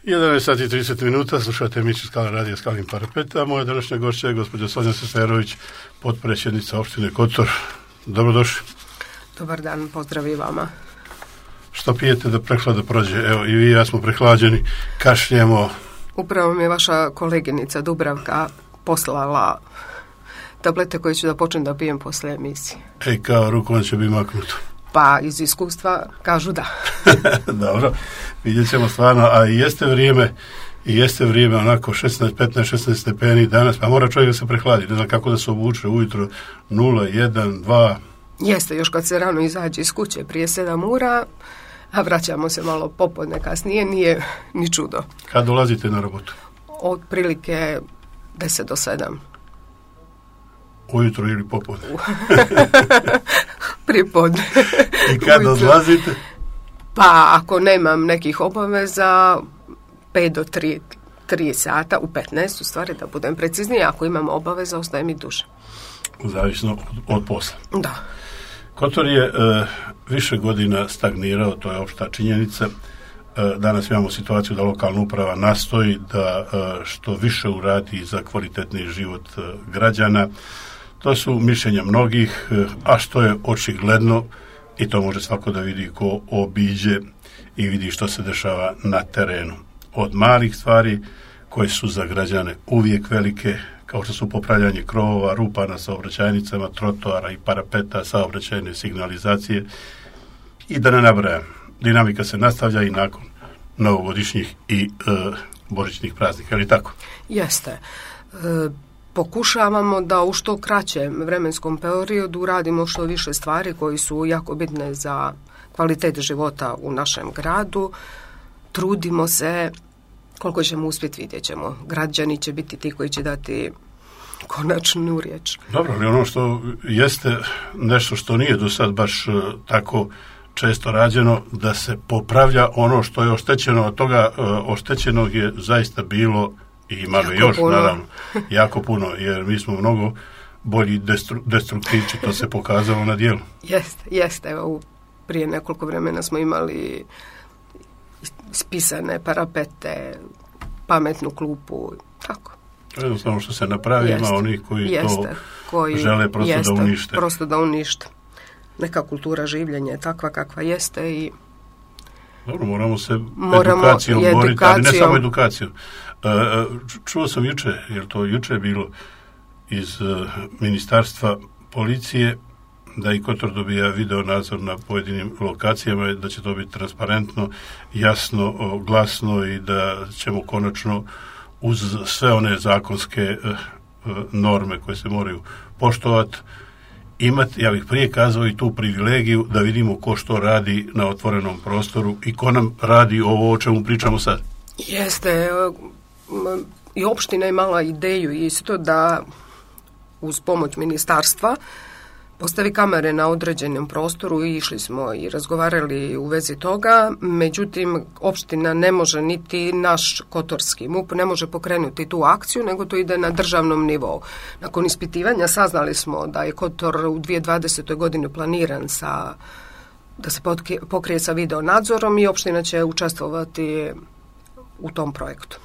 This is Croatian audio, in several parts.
11 sati i 30 minuta, slušate emisiju Skala radija Skalin parapet, a moja današnja gošća je gospođa Sonja Seferović, potpredsjednica opštine Kotor. Dobrodošli. Dobar dan, pozdrav i vama. Što pijete da prehlada prođe? Evo, i vi i ja smo prehlađeni, kašljemo. Upravo mi je vaša koleginica Dubravka poslala tablete koje ću da počnem da pijem posle emisije. Kao rukom će biti maknuto. Pa iz iskustva kažu da. Dobro, vidjet ćemo stvarno, a i jeste vrijeme onako 15-16 stepeni danas, pa mora čovjek da se prehladi, ne znam kako da se obuče ujutro 0, 1, 2. Jeste, još kad se rano izađe iz kuće prije 7 ura, a vraćamo se malo popodne kasnije, nije ni čudo. Kad dolazite na robotu? Od prilike 10 do 7. Ujutro ili popodne? Pripodne. I kad odlazite? Pa ako nemam nekih obaveza, 5 do 3 sata, u 15 u stvari da budem preciznije, ako imam obaveza ostaje mi duže. Zavisno od posla. Da. Kotor je više godina stagnirao, to je opšta činjenica. Danas imamo situaciju da lokalna uprava nastoji da što više uradi za kvalitetni život građana. To su mišljenja mnogih, a što je očigledno, i to može svako da vidi ko obiđe i vidi što se dešava na terenu. Od malih stvari koje su za građane uvijek velike, kao što su popravljanje krovova, rupa na saobraćajnicama, trotoara i parapeta, saobraćajne signalizacije, i da ne nabrajam. Dinamika se nastavlja i nakon novogodišnjih i božićnih praznika, ali tako? Jeste. Pokušavamo da u što kraćem vremenskom periodu uradimo što više stvari koji su jako bitne za kvalitet života u našem gradu. Trudimo se, koliko ćemo uspjeti vidjet ćemo. Građani će biti ti koji će dati konačnu riječ. Dobro, ali ono što jeste nešto što nije do sad baš tako često rađeno, da se popravlja ono što je oštećeno, od toga oštećenog je zaista bilo i ima ga još, puno. Naravno, jako puno, jer mi smo mnogo bolji destruktivči, to se pokazalo na dijelu. Jeste, evo, prije nekoliko vremena smo imali spisane parapete, pametnu klupu, tako. Jednostavno što se napravi, ima onih koji žele prosto da unište. Neka kultura življenja je takva kakva jeste i dobro, moramo se edukacijom boriti, ali ne samo edukacijom. Čuo sam juče, jer to juče je bilo iz ministarstva policije, da i Kotor dobija video nadzor na pojedinim lokacijama, da će to biti transparentno, jasno, glasno i da ćemo konačno uz sve one zakonske norme koje se moraju poštovati imati, ja bih prije kazao, i tu privilegiju da vidimo ko što radi na otvorenom prostoru i ko nam radi ovo o čemu pričamo sad. Jeste, i opština je imala ideju isto da uz pomoć ministarstva postavi kamere na određenom prostoru i išli smo i razgovarali u vezi toga, međutim opština ne može, niti naš kotorski MUP ne može pokrenuti tu akciju, nego to ide na državnom nivou. Nakon ispitivanja saznali smo da je Kotor u 2020. godini planiran da se pokrije sa video nadzorom i opština će učestvovati u tom projektu.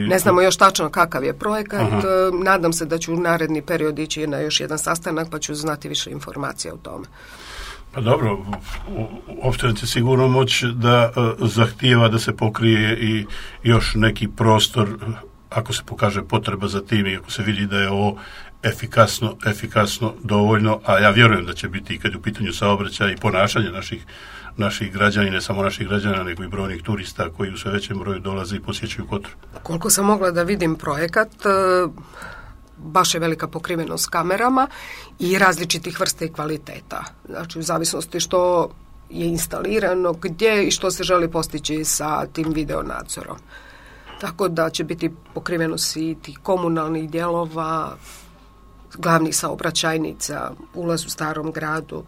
Ne znamo još tačno kakav je projekat. Nadam se da ću u naredni period ići na još jedan sastanak pa ću znati više informacija o tome. Pa dobro, opština će sigurno moći da zahtijeva da se pokrije i još neki prostor ako se pokaže potreba za tim i ako se vidi da je ovo efikasno dovoljno, a ja vjerujem da će biti i kad je u pitanju saobraćaj i ponašanje naših građana, i ne samo naših građana, nego i brojnih turista koji u sve većem broju dolaze i posjećuju Kotor. Koliko sam mogla da vidim projekat, baš je velika pokrivenost kamerama i različitih vrsta i kvaliteta. Znači, u zavisnosti što je instalirano, gdje i što se želi postići sa tim video nadzorom. Tako da će biti pokrivenost i tih komunalnih dijelova, glavnih saobraćajnica, ulaz u starom gradu.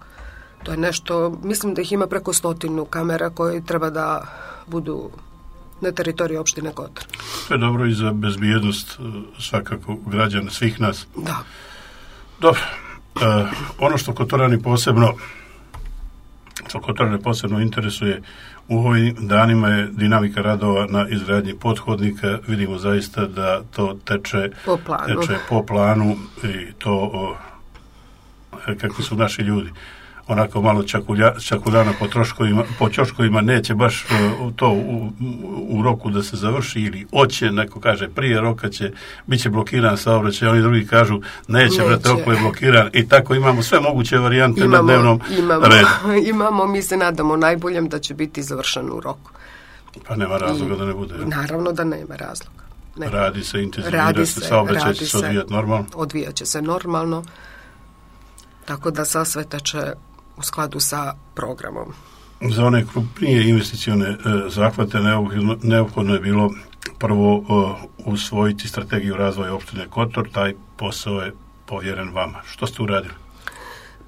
To je nešto, mislim da ih ima preko 100 kamera koje treba da budu na teritoriju opštine Kotor. To je dobro i za bezbjednost svakako građana, svih nas. Da. Dobro, ono što Kotorani posebno što Kotorane posebno interesuje, u ovim danima je dinamika radova na izgradnji pothodnika. Vidimo zaista da to teče po planu i to kakvi su naši ljudi. Onako malo čakuljana po ćoškovima neće baš to u roku da se završi, ili hoće, neko kaže prije roka bit će blokiran saobraćaj, oni drugi kažu neće, rok je blokiran, i tako imamo sve moguće varijante na dnevnom redu. Imamo, mi se nadamo najboljem da će biti završen u roku. Pa nema razloga da ne bude. Naravno da nema razloga. Ne. Radi se, intenzivira se, saobraćaj će se odvijati normalno. Odvijat će se normalno, tako da sve teče u skladu sa programom. Za one krupnije investicione zahvate neophodno je bilo prvo usvojiti strategiju razvoja opštine Kotor. Taj posao je povjeren vama. Što ste uradili?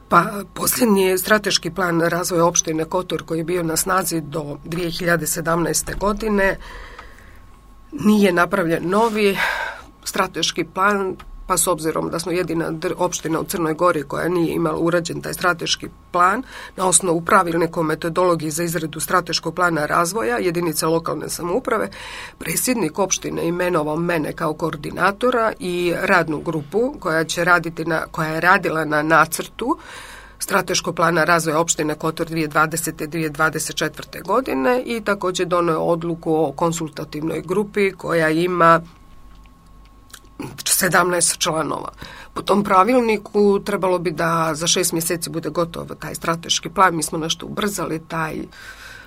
Pa, posljednji strateški plan razvoja opštine Kotor, koji je bio na snazi do 2017. godine, nije napravljen novi strateški plan, pa s obzirom da smo jedina opština u Crnoj Gori koja nije imala urađen taj strateški plan, na osnovu pravilnika o metodologiji za izradu strateškog plana razvoja jedinice lokalne samouprave, predsjednik opštine imenovao mene kao koordinatora i radnu grupu koja je radila na nacrtu strateškog plana razvoja opštine Kotor 2020-2024. godine i također donio odluku o konsultativnoj grupi koja ima 17 članova. Po tom pravilniku trebalo bi da za 6 mjeseci bude gotov taj strateški plan. Mi smo nešto ubrzali taj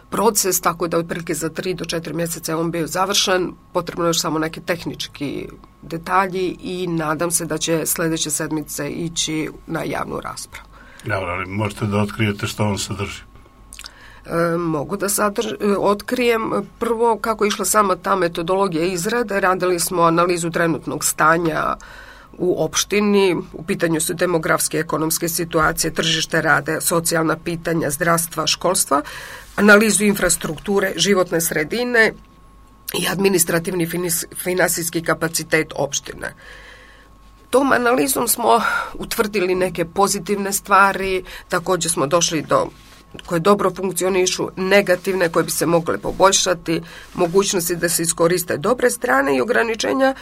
proces, tako da otprilike za 3 do 4 mjeseca je on bio završen. Potrebno je još samo neki tehnički detalji i nadam se da će sljedeće sedmice ići na javnu raspravu. Dobro, ali možete da otkrijete što on sadrži? Mogu da otkrijem. Prvo, kako je išla sama ta metodologija izrade, radili smo analizu trenutnog stanja u opštini, u pitanju su demografske, ekonomske situacije, tržište rada, socijalna pitanja, zdravstva, školstva, analizu infrastrukture, životne sredine i administrativni finansijski kapacitet opštine. Tom analizom smo utvrdili neke pozitivne stvari, također smo došli do koje dobro funkcionišu, negativne koje bi se mogle poboljšati, mogućnosti da se iskoriste dobre strane i ograničenja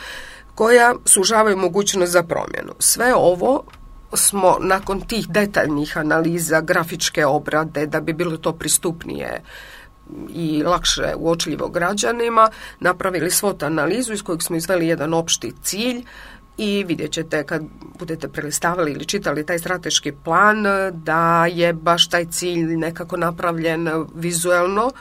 koja sužavaju mogućnost za promjenu. Sve ovo smo nakon tih detaljnih analiza, grafičke obrade, da bi bilo to pristupnije i lakše uočljivo građanima, napravili SWOT analizu iz kojeg smo izveli jedan opšti cilj. I vidjet ćete kad budete prelistavali ili čitali taj strateški plan da je baš taj cilj nekako napravljen vizuelno,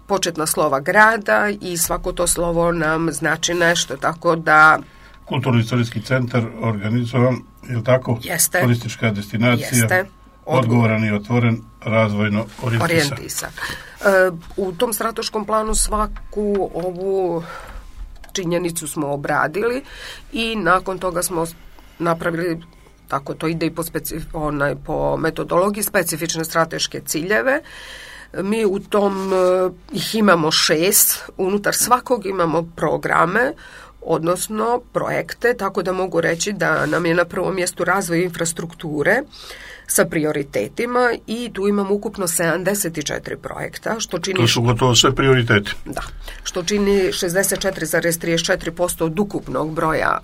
početna slova grada i svako to slovo nam znači nešto, tako da... Kulturno-istorijski centar organizovan, je li tako? Jeste. Turistička destinacija, jeste. Odgovoran i otvoren, razvojno orijentisan. U tom strateškom planu svaku ovu činjenicu smo obradili i nakon toga smo napravili, tako to ide i po metodologiji, specifične strateške ciljeve. Mi u tom ih imamo 6, unutar svakog imamo programe, odnosno projekte, tako da mogu reći da nam je na prvom mjestu razvoj infrastrukture sa prioritetima i tu imamo ukupno 74 projekta, što čini... To su gotovo sve prioriteti. Da, što čini 64,34% od ukupnog broja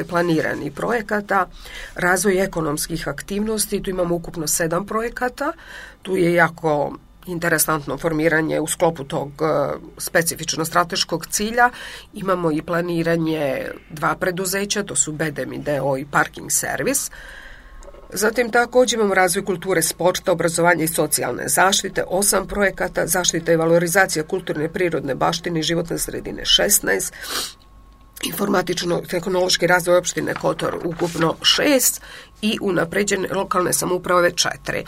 planiranih projekata. Razvoj ekonomskih aktivnosti, tu imamo ukupno 7 projekata, tu je jako interesantno formiranje u sklopu tog specifično strateškog cilja. Imamo i planiranje 2 preduzeća, to su Bedem d.o. i Parking Servis. Zatim također imamo razvoj kulture, sporta, obrazovanja i socijalne zaštite, 8 projekata, zaštita i valorizacija kulturne i prirodne baštine i životne sredine 16, informatično-tehnološki razvoj opštine Kotor ukupno 6 i unapređenje lokalne samouprave 4.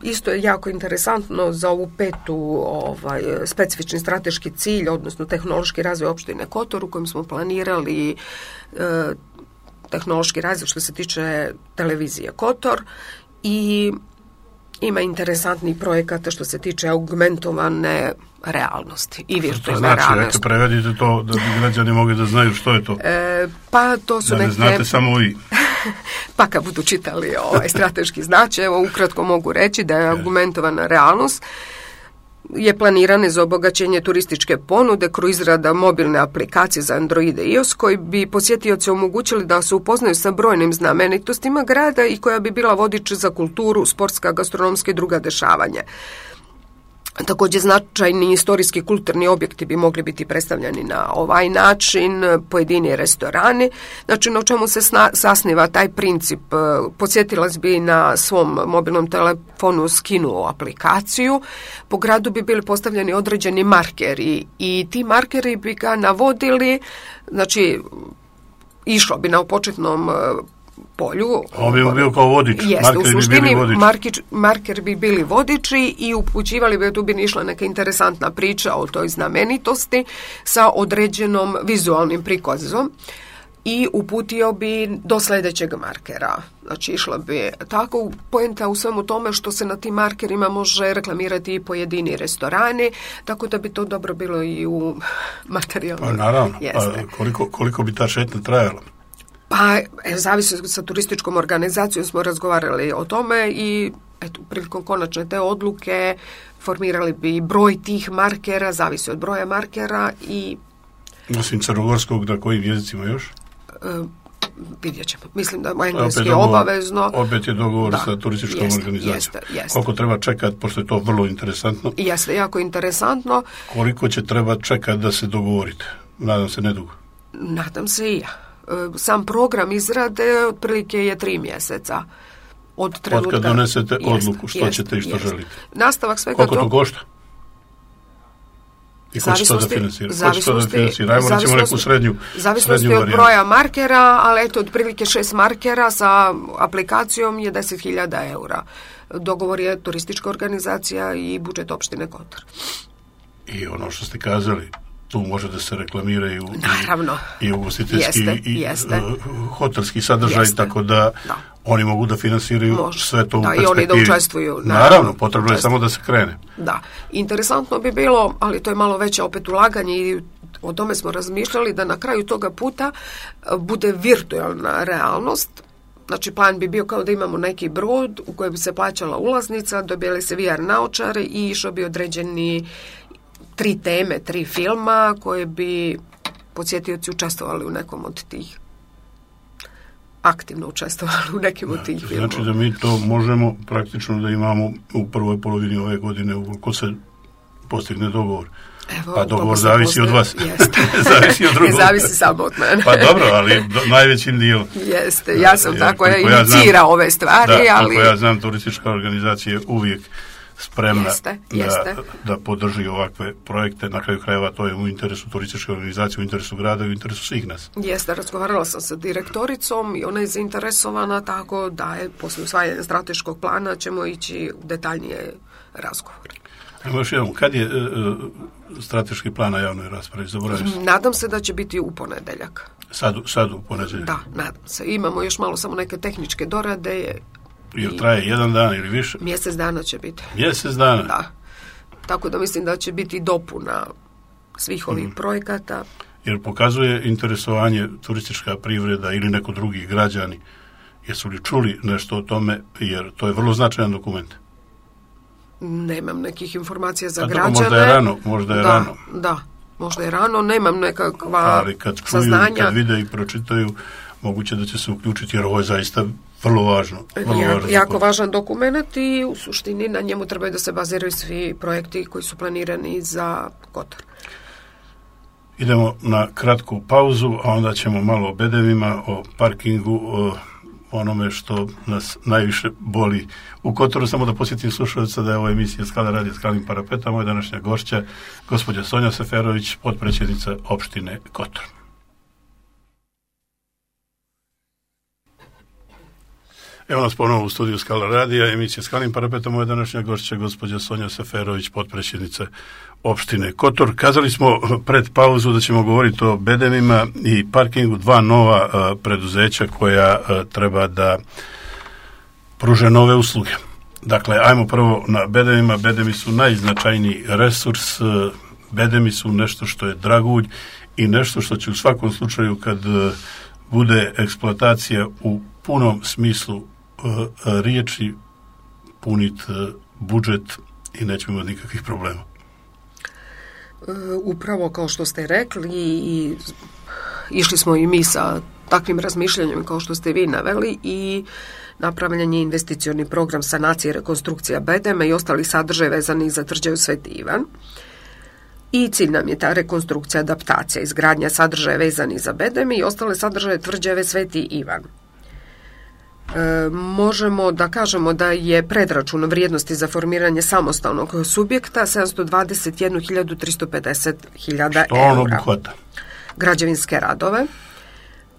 Isto je jako interesantno za ovu 5. specifični strateški cilj, odnosno tehnološki razvoj opštine Kotor, u kojem smo planirali tehnološki razvoj što se tiče televizije Kotor i ima interesantnih projekata što se tiče augmentovane realnosti i virtualne realnosti. Znači, prevedite to da bi građani mogli da znaju što je to. Pa to su da ne znate samo vi. pa kad budu čitali strateški značaj, evo ukratko mogu reći da je argumentovana realnost je planirane za obogaćenje turističke ponude kroz izrada mobilne aplikacije za Android i iOS koji bi posjetioce omogućili da se upoznaju sa brojnim znamenitostima grada i koja bi bila vodič za kulturu, sportska, gastronomska i druga dešavanja. Također značajni istorijski kulturni objekti bi mogli biti predstavljeni na ovaj način, pojedini restorani. Znači, na čemu se sasniva taj princip? Posjetilac bi na svom mobilnom telefonu skinuo aplikaciju, po gradu bi bili postavljeni određeni markeri i ti markeri bi ga navodili, znači, išlo bi na početnom polju. On bi bio kao vodič. Jeste, u suštini marker bi bili vodiči i upućivali bi, tu bi išla neka interesantna priča o toj znamenitosti sa određenom vizualnim prikazom i uputio bi do sljedećeg markera. Znači, išla bi tako poenta u svemu tome što se na tim markerima može reklamirati i pojedini restorani, tako da bi to dobro bilo i u materijalnom. Pa naravno, koliko bi ta šetnja trajala? Pa, zavisi sa turističkom organizacijom smo razgovarali o tome i eto, prilikom konačne te odluke formirali bi broj tih markera, zavisi od broja markera i... Osim crnogorskog, na kojim jezicima još? Vidjet ćemo. Mislim da engleski je obavezno. Opet je dogovor sa turističkom organizacijom. Jeste. Koliko treba čekati, pošto je to vrlo interesantno? Jeste, jako interesantno. Koliko će treba čekati da se dogovorite? Nadam se nedugo. Nadam se i ja. Sam program izrade otprilike je 3 mjeseca od trenutka. Od kad donesete odluku što ćete i što želite. Nastavak svega koliko to košta? I ko će to da financira? Ajmo recimo neku srednju zavisnosti od broja markera, ali eto, otprilike 6 markera sa aplikacijom je 10.000 eura. Dogovor je turistička organizacija i budžet opštine Kotor. I ono što ste kazali, tu može da se reklamiraju i ugostiteljski i hotelski sadržaj, tako da oni mogu da finansiraju sve to u perspektivi. I oni da učestvuju. Naravno, potrebno je samo da se krene. Da. Interesantno bi bilo, ali to je malo veće opet ulaganje i o tome smo razmišljali, da na kraju toga puta bude virtualna realnost. Znači, plan bi bio kao da imamo neki brod u kojem bi se plaćala ulaznica, dobijali se VR naočare i išao bi određeni 3 teme, 3 filma koje bi posjetioci učestvovali u nekom od tih, aktivno učestvovali u nekim od tih filmova. Znači da mi to možemo praktično da imamo u prvoj polovini ove godine ukoliko se postigne dogovor. Evo, pa dogovor zavisi od vas. Zavisi od drugog. Ne zavisi samo od mene. Pa dobro, ali najvećim dijelom. Jeste, ja sam tako inicirao ove stvari. Ali ja znam, turistička organizacija je uvijek spremna da podrži ovakve projekte. Na kraju krajeva to je u interesu turističke organizacije, u interesu grada i u interesu svih nas. Jeste, razgovarala sam sa direktoricom i ona je zainteresovana, tako da je poslije usvajanja strateškog plana ćemo ići u detaljnije razgovore. Još jednom, kad je strateški plan na javnoj raspravi? Nadam se da će biti u ponedeljak. Sad u ponedeljak? Da, nadam se. Imamo još malo samo neke tehničke dorade. Jer traje 1 dan ili više? Mjesec dana će biti. Mjesec dana? Da. Tako da mislim da će biti dopuna svih ovih projekata. Jer pokazuje interesovanje turistička privreda ili neko drugi građani. Jesu li čuli nešto o tome? Jer to je vrlo značajan dokument. Nemam nekih informacija za građane. Možda je rano. Da, možda je rano. Nemam nekakva ali kad čuju, saznanja. Kad vide i pročitaju, moguće da će se uključiti, jer ovo je zaista vrlo važno. Jako važan dokument i u suštini na njemu trebaju da se baziraju svi projekti koji su planirani za Kotor. Idemo na kratku pauzu, a onda ćemo malo o bedemima, o parkingu, o onome što nas najviše boli u Kotoru. Samo da posjetim slušalca da je ovo emisija Skala radija Skalnim parapetom. Moja današnja gošća, gospođa Sonja Seferović, potpredsjednica opštine Kotor. Evo nas ponovo u studiju Skala radija, emisija Skalnim parapetom. Moja današnja gošća, gospođa Sonja Seferović, potpredsjednica opštine Kotor. Kazali smo pred pauzu da ćemo govoriti o bedemima i parkingu, 2 nova preduzeća koja treba da pruže nove usluge. Dakle, ajmo prvo na bedemima. Bedemi su najznačajniji resurs. Bedemi su nešto što je dragulj i nešto što će u svakom slučaju kad bude eksploatacija u punom smislu riječi, puniti budžet i nećemo imati nikakvih problema. Upravo kao što ste rekli, i išli smo i mi sa takvim razmišljanjem kao što ste vi naveli, i napravljen je investicioni program sanacije i rekonstrukcija bedema i ostali sadržaj vezani za tvrđavu Sveti Ivan. I cilj nam je ta rekonstrukcija, adaptacija, izgradnja sadržaja vezani za bedeme i ostale sadržaje tvrđave Sveti Ivan. Možemo da kažemo da je predračun vrijednosti za formiranje samostalnog subjekta 721.350.000 eura. Što on obuhvata? Građevinske radove,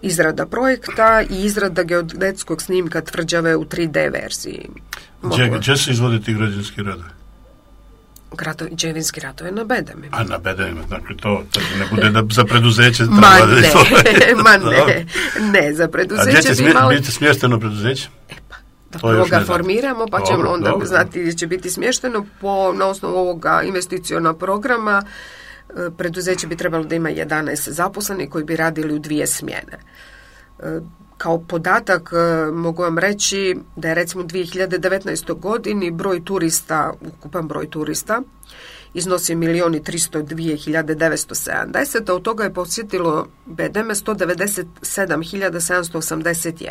izrada projekta i izrada geodetskog snimka tvrđave u 3D verziji. Gdje se izvode ti građevinski radovi? Građevinski radovi na bedemima. A na bedemima, dakle to ne bude da za preduzeće ne, za preduzeće. A gdje će biti smješteno preduzeće? Da prvo ga formiramo, pa ćemo onda znati gdje će biti smješteno. Na osnovu ovoga investicionog programa preduzeće bi trebalo da ima 11 zaposlenih koji bi radili u 2 smjene. Kao podatak mogu vam reći da je recimo u 2019. godini ukupan broj turista iznosi 1.302.970, a od toga je posjetilo bedeme 197.781.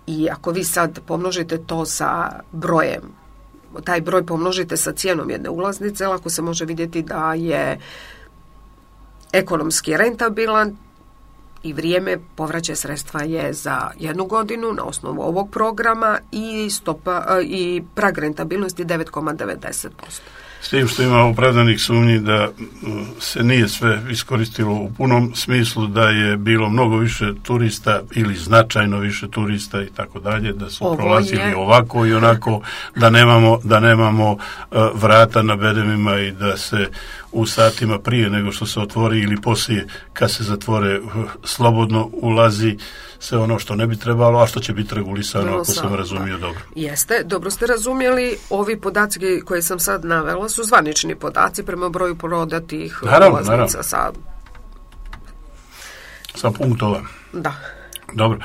I ako vi sad pomnožite to sa brojem, taj broj pomnožite sa cijenom jedne ulaznice, lako se može vidjeti da je ekonomski rentabilan i vrijeme povraćaja sredstva je za 1 godinu na osnovu ovog programa i prag rentabilnosti 9,90%. S tim što ima opravdanih sumnji da se nije sve iskoristilo u punom smislu, da je bilo mnogo više turista ili značajno više turista i tako dalje, da su prolazili ovako i onako, da nemamo vrata na bedemima i da se u satima prije nego što se otvori ili poslije kad se zatvore slobodno ulazi sve ono što ne bi trebalo, a što će biti regulisano, ako sam razumio dobro. Jeste, dobro ste razumjeli. Ovi podaci koje sam sad navela su zvanični podaci prema broju prodatih ulaznica sa punktova. Da. Dobro,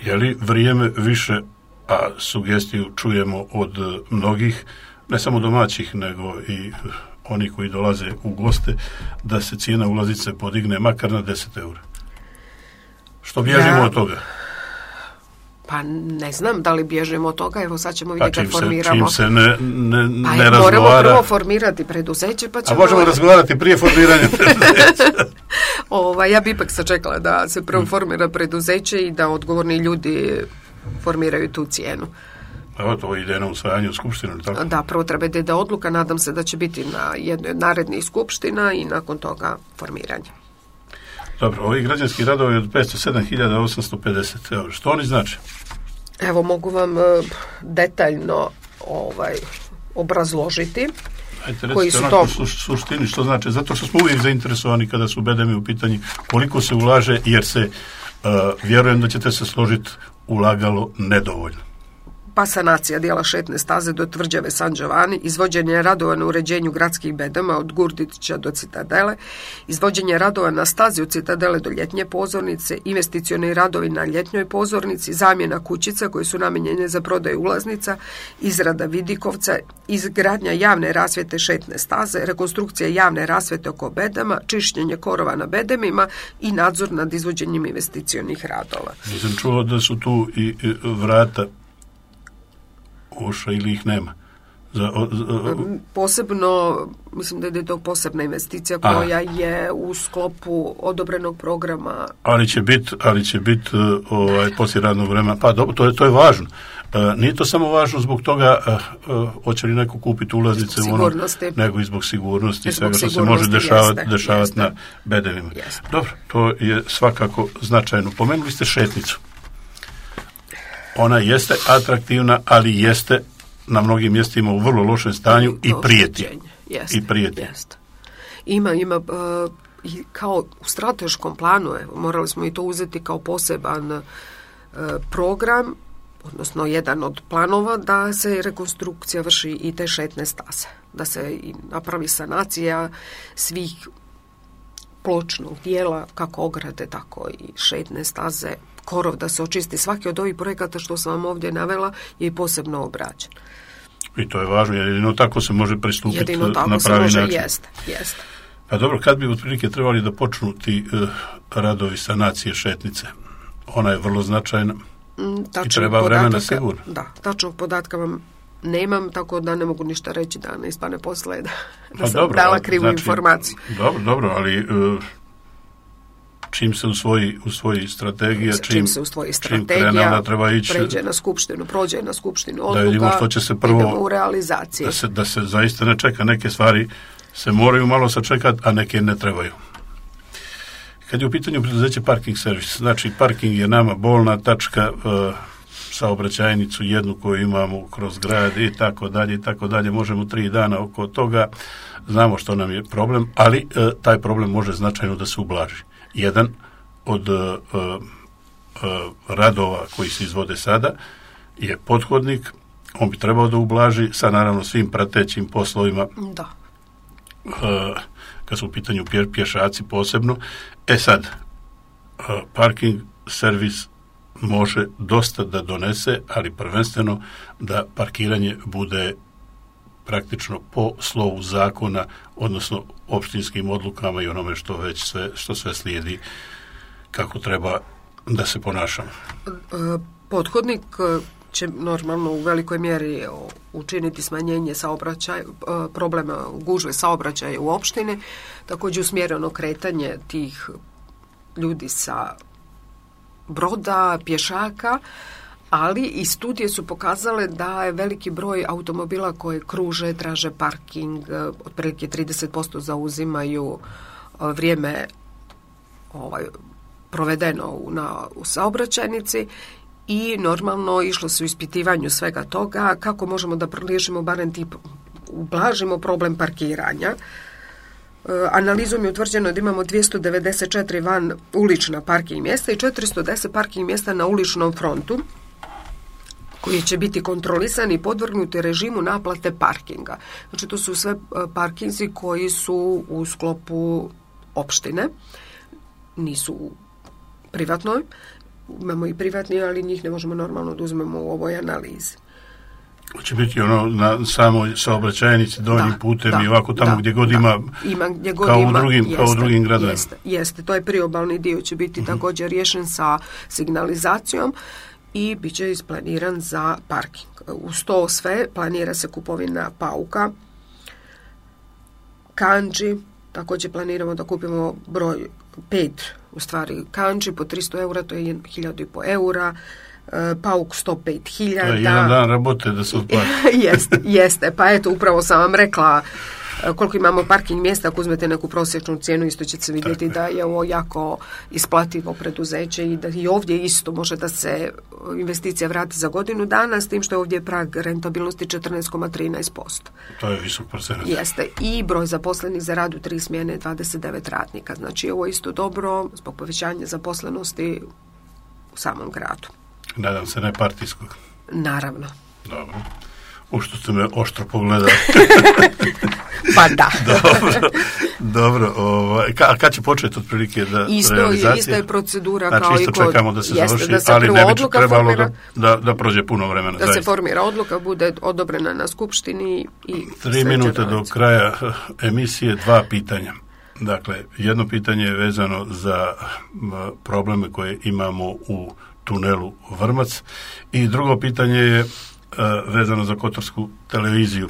je li vrijeme više, a sugestiju čujemo od mnogih, ne samo domaćih, nego i oni koji dolaze u goste, da se cijena ulaznice podigne makar na 10 eura? Što bježimo od toga? Pa ne znam da li bježimo od toga, evo sad ćemo vidjeti kad formiramo. Čim se ne razgovara. Moramo prvo formirati preduzeće, pa ćemo... A možemo razgovarati prije formiranja preduzeća? Ja bi ipak sačekala da se prvo formira preduzeće i da odgovorni ljudi formiraju tu cijenu. Evo, to ide na usvajanje u skupštinu, tako? Da, prvo treba da ide odluka, nadam se da će biti na jednoj od narednih skupština i nakon toga formiranje. Dobro, ovi građanski radovi od 507.850 eura, što oni znači? Evo, mogu vam detaljno obrazložiti. Ajte, recite onako suštini što znači, zato što smo uvijek zainteresovani kada su bedemi u pitanju, koliko se ulaže, jer se, vjerujem da ćete se složiti, ulagalo nedovoljno. Pa sanacija dijela šetne staze do tvrđave San Giovanni, izvođenje radova na uređenju gradskih bedema od Gurdića do Citadele, izvođenje radova na stazi od Citadele do ljetnje pozornice, investicioni radovi na ljetnjoj pozornici, zamjena kućica koje su namijenjene za prodaju ulaznica, izrada vidikovca, izgradnja javne rasvjete šetne staze, rekonstrukcija javne rasvjete oko bedema, čišćenje korova na bedemima i nadzor nad izvođenjem investicionih radova. Nisam čuo da su tu i vrata uša ili ih nema? Posebno, mislim da je to posebna investicija koja je u sklopu odobrenog programa. Ali će biti poslije radnog vremena. Pa dobro, to je važno. Nije to samo važno zbog toga hoće li neko kupiti ulaznice nego i zbog sigurnosti i svega što se može dešavati na bedemima. Dobro, to je svakako značajno. Pomenuli ste šetnicu. Ona jeste atraktivna, ali jeste na mnogim mjestima u vrlo lošem stanju i prijeti. Jeste. Ima kao u strateškom planu, morali smo i to uzeti kao poseban program, odnosno jedan od planova da se rekonstrukcija vrši i te šetne staze, da se napravi sanacija svih pločnog dijela, kako ograde, tako i šetne staze, korov da se očisti. Svaki od ovih projekata što sam vam ovdje navela je i posebno obrađen. I to je važno, jer jedino tako se može pristupiti na pravi način. Jedino tako se može, jeste. Pa dobro, kad bi otprilike trebali da počnu ti radovi sanacije šetnice? Ona je vrlo značajna i treba vremena sigurno. Da, tačnog podatka vam nemam, tako da ne mogu ništa reći da ne ispane posle da sam dala krivu informaciju. Dobro, ali čim se usvoji strategija, čim krene, onda treba ići, prođe na skupštinu odluka, da vidimo što će se prvo, idemo u realizaciji. Da se zaista ne čeka, neke stvari se moraju malo sačekati, a neke ne trebaju. Kad je u pitanju preduzeće Parking Servis, znači parking je nama bolna tačka, saobraćajnicu jednu koju imamo kroz grad i tako dalje, možemo 3 dana oko toga, znamo što nam je problem, ali taj problem može značajno da se ublaži. Jedan od radova koji se izvode sada je pothodnik, on bi trebao da ublaži sa naravno svim pratećim poslovima. Da. Kad su u pitanju pješaci posebno. Sad, parking servis može dosta da donese, ali prvenstveno da parkiranje bude praktično po slovu zakona, odnosno opštinskim odlukama i onome što sve slijedi kako treba da se ponašamo. Pothodnik će normalno u velikoj mjeri učiniti smanjenje problema gužve saobraćaja u opštini, također usmjereno kretanje tih ljudi sa broda, pješaka, ali i studije su pokazale da je veliki broj automobila koje kruže, traže parking, otprilike 30% zauzimaju vrijeme provedeno u saobraćajnici i normalno išlo se u ispitivanju svega toga kako možemo da riješimo barem ublažimo problem parkiranja. Analizom je utvrđeno da imamo 294 van ulična parking mjesta i 410 parking mjesta na uličnom frontu koji će biti kontrolisani i podvrgnuti režimu naplate parkinga. Znači to su sve parkinzi koji su u sklopu opštine, nisu u privatnoj. Imamo i privatni, ali njih ne možemo normalno da uzmemo u ovoj analizi. Će biti na samoj saobraćajnici, donjim putem i ovako tamo gdje god ima kao u drugim gradovima. Jeste, to je priobalni dio će biti također riješen sa signalizacijom i bit će isplaniran za parking. Uz to sve planira se kupovina pauka, kandži, također planiramo da kupimo broj 5 u stvari kandži po 300 eura, to je 1.500 eura, pauk 105.000. To je jedan dan rabote da se otplati. Jeste, pa eto, upravo sam vam rekla koliko imamo parking mjesta, ako uzmete neku prosječnu cijenu, isto ćete vidjeti da je ovo jako isplativo preduzeće i da i ovdje isto može da se investicija vrati za godinu dana, s tim što je ovdje prag rentabilnosti 14,13%. To je visok procenat. Jeste, i broj zaposlenih za rad u 3 smjene 29 radnika. Znači ovo je isto dobro zbog povećanja zaposlenosti u samom gradu. Nadam se ne partijskog. Naravno. Dobro. U što ste me oštro pogledali. Pa da. Dobro. A kad će početi otprilike realizacija? Isto je procedura znači, kao i kod... čekamo da se završi, da se ali ne bi trebalo formira, da prođe puno vremena. Da se formira odluka, bude odobrena na skupštini i 3 minute do kraja emisije, 2 pitanja. Dakle, jedno pitanje je vezano za probleme koje imamo u tunelu Vrmac i drugo pitanje je vezano za Kotorsku televiziju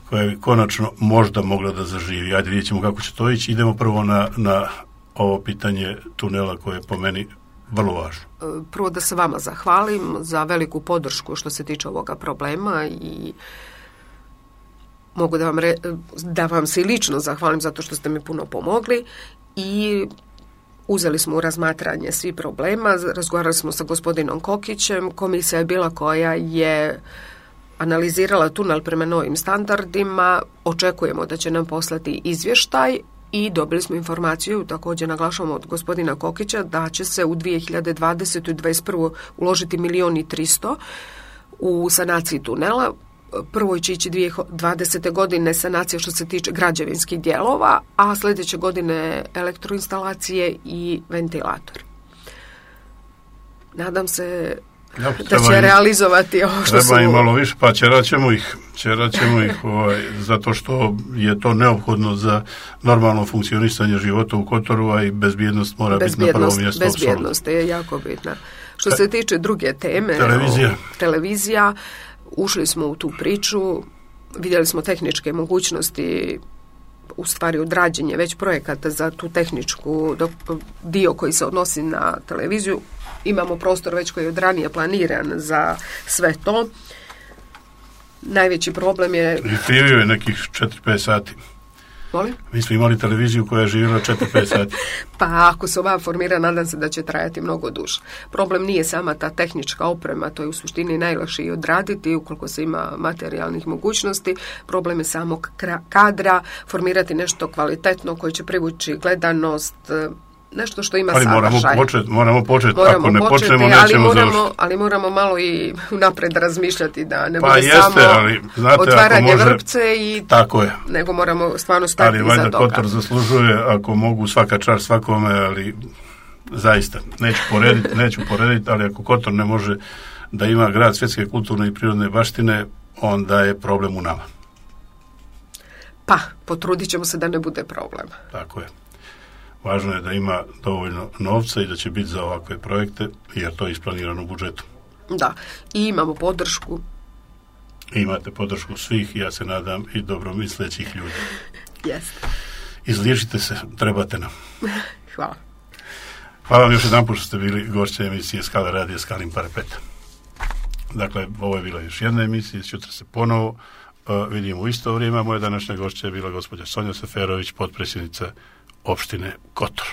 koja je konačno možda mogla da zaživi. Ajde, vidjet ćemo kako će to ići. Idemo prvo na ovo pitanje tunela koje je po meni vrlo važno. Prvo da se vama zahvalim za veliku podršku što se tiče ovoga problema i mogu da vam se i lično zahvalim zato što ste mi puno pomogli i uzeli smo u razmatranje svi problema, razgovarali smo sa gospodinom Kokićem, komisija je bila koja je analizirala tunel prema novim standardima, očekujemo da će nam poslati izvještaj i dobili smo informaciju, također naglašavamo od gospodina Kokića, da će se u 2020. i 2021. uložiti 1.300.000 u sanaciji tunela. prvo će ići 2020. godine sanacija što se tiče građevinskih dijelova, a sljedeće godine elektroinstalacije i ventilator. Nadam se da će realizovati ovo što su... Treba im malo više, pa ćerat ćemo ih zato što je to neophodno za normalno funkcionisanje života u Kotoru, a i bezbjednost mora biti na prvom mjestu. Bezbjednost je jako bitna. Što se tiče druge teme, televizija, ušli smo u tu priču, vidjeli smo tehničke mogućnosti, u stvari odrađenje već projekata za tu tehničku dio koji se odnosi na televiziju. Imamo prostor već koji je od ranije planiran za sve to. Najveći problem je... Živio je nekih 4-5 sati. Molim? Mi smo imali televiziju koja je živjela 4-5 sati. Pa ako se ova formira, nadam se da će trajati mnogo duže. Problem nije sama ta tehnička oprema, to je u suštini najlakše i odraditi ukoliko se ima materijalnih mogućnosti. Problem je samog kadra, formirati nešto kvalitetno koje će privući gledanost, nešto što ima sadržaj. Moramo početi. Ako ne počnemo, nećemo završiti. Ali moramo malo i napred razmišljati da ne pa bude jeste, samo ali, znate, otvaranje vrpce i tako je. Nego moramo stvarno stati iza toga. Ali valjda Kotor zaslužuje, ako mogu, svaka čast svakome, ali zaista, neću porediti, ali ako Kotor ne može da ima grad svjetske kulturne i prirodne baštine, onda je problem u nama. Pa, potrudit ćemo se da ne bude problem. Tako je. Važno je da ima dovoljno novca i da će biti za ovakve projekte, jer to je isplanirano u budžetu. Da, i imamo podršku. Imate podršku svih, ja se nadam, i dobromislećih ljudi. Jeste. Izliječite se, trebate nam. Hvala. Hvala vam još jedan put što ste bili gošće emisije Skala radija Skalin parapet. Dakle, ovo je bila još jedna emisija, sutra se ponovo vidimo u isto vrijeme. Moja današnja gošća je bila gospođa Sonja Seferović, potpredsjednica opštine Kotor.